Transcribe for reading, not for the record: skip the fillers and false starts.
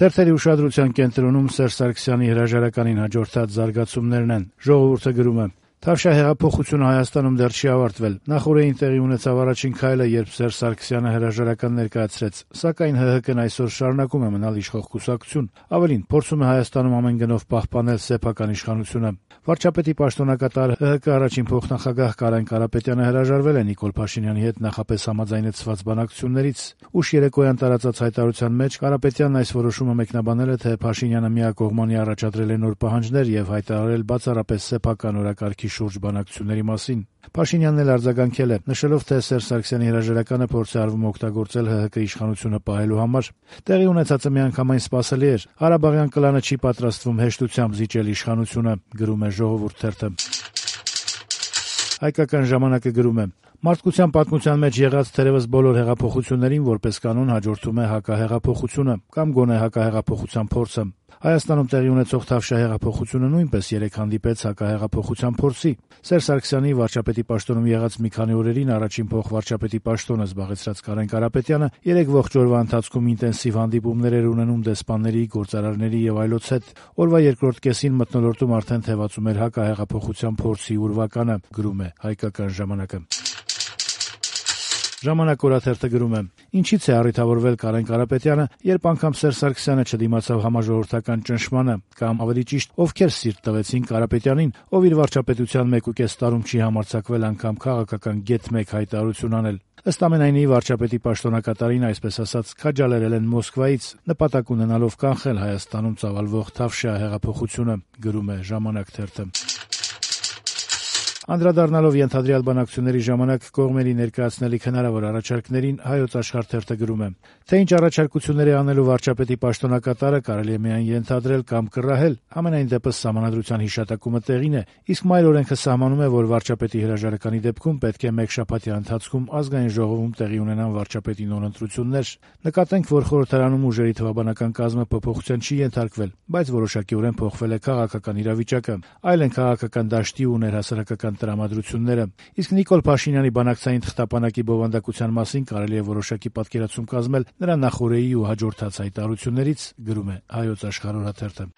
Թերթերի ուշադրության կենտրոնում Սերժ Սարգսյանի հրաժարականին հաջորդած զարգացումներն են։ Ժողովուրդը գրում է. Թավշյա հեղափոխությունը Հայաստանում դեռ չի ավարտվել։ Նախօրեին տեղի ունեցավ առաջին քայլը, երբ Սերժ Սարգսյանը հրաժարական ներկայացրեց, սակայն ՀՀԿ-ն այսօր շարունակում է մնալ իշխող կուսակցություն, ավելին փորձում է Հայաստանում ամեն գնով պահպանել սեփական իշխանությունը։ Վարչապետի պաշտոնակատար ՀՀԿ առաջին փոխնախագահ Կարեն Կարապետյանը հրաժարվել է Նիկոլ Փաշինյանի հետ նախապես համաձայնեցված բանակցություններից։ Ուշ երեկոյան տարածած հայտարարության մեջ Կարապետյանն այս որոշումը մեկնաբանել է, թե Փաշինյանը միակողմանի առաջադրել է նոր պահանջներ եւ հայտարարել բացառապես սեփական օրակարգի շուրջ բանակցությունների մասին։ Փաշինյանն էլ արձագանքել է, նշելով, թե Սերժ Սարգսյանի հրաժարականը փորձ է արվում օգտագործել ՀՀԿ իշխանությունը պահելու համար։ Տեղի ունեցածը միանգամայն սպասելի էր։ Ղարաբաղյան կլանը չի պատրաստվում հեշտությամբ զիջել իշխանությունը, գրում է Ժողովուրդ թերթը։ Հայկական ժամանակը գրում է. Մարդկության պատմության մեջ եղած թերևս բոլոր հեղափոխություններին որպես կանոն հաջորդում է հակահեղափոխությունը կամ գոնե հակահեղափոխության փորձը։ Հայաստանում տեղի ունեցող Թավշյա հեղափոխությունը նույնպես 3 հանդիպեց հակահեղափոխության փորձի։ Սերժ Սարգսյանի վարչապետի պաշտոնում եղած մի քանի օրերին առաջին փոխվարչապետի պաշտոնը զբաղեցրած Կարեն Կարապետյանը 3 ողջ օրվա ընթացքում ինտենսիվ հանդիպումներ էր ունենում դեսպանների, գործարարների եւ այլոց հետ։ Օրվա երկրորդ կեսին մթնոլորտում արդեն թևածում էր հակահեղափոխության փորձի ուրվականը, գրում է Հայկական ժամանակը։ Ժամանակ օրաթերթը գրում է. Ինչից է առիթավորվել Կարեն Կարապետյանը, երբ անգամ Սերժ Սարգսյանը չդիմացավ համաժողովրդական ճնշմանը, կամ ավելի ճիշտ, ովքեր սիրտ տվեցին Կարապետյանին, ով իր վարչապետության 1.5 տարում չի համարձակվել անգամ քաղաքական գեթ 1 հայտարարություն անել։ Ըստ ամենայնի վարչապետի պաշտոնակատարին, այսպես ասած, քաջալերել են Մոսկվայից, նպատակ ունենալով կանխել Հայաստանում ծավալվող Թավշյա հեղափոխությունը, գրում է Ժամանակ թերթը։ Անդրադառնալով ենթադրյալ բանակցությունների ժամանակ կողմերի ներկայացնելիք հնարավոր առաջարկներին Հայոց Աշխարհ թերթը գրում է. թե ինչ առաջարկություններ է անելու վարչապետի պաշտոնակատարը կարելի է միայն ենթադրել կամ կռահել, համենայն դեպս սահմանադրության հիշատակումը տեղին է, իսկ մայր օրենքը սահմանում է, որ վարչապետի հրաժարականի դեպքում պետք է մեկ շաբաթյա ընթացքում ազգային ժողովում տեղի ունենան վարչապետի նորընտրություններ։ Նկատենք, որ խորհրդարանում ուժերի թվաբանական կազմը փոփոխության չի ենթարկվել, բայց որոշակիորեն փոխվել է քաղաքական իրավիճակը, այլ են քաղաքական դաշտի ու ներհասարակական տրամադրությունները։ Իսկ Նիկոլ Փաշինյանի բանակցային թղթապանակի բովանդակության մասին կարելի է որոշակի պատկերացում կազմել նրա նախօրեի ու հաջորդած հայտարարություններից, գրում է Հայոց Աշխարհ օրաթերթը։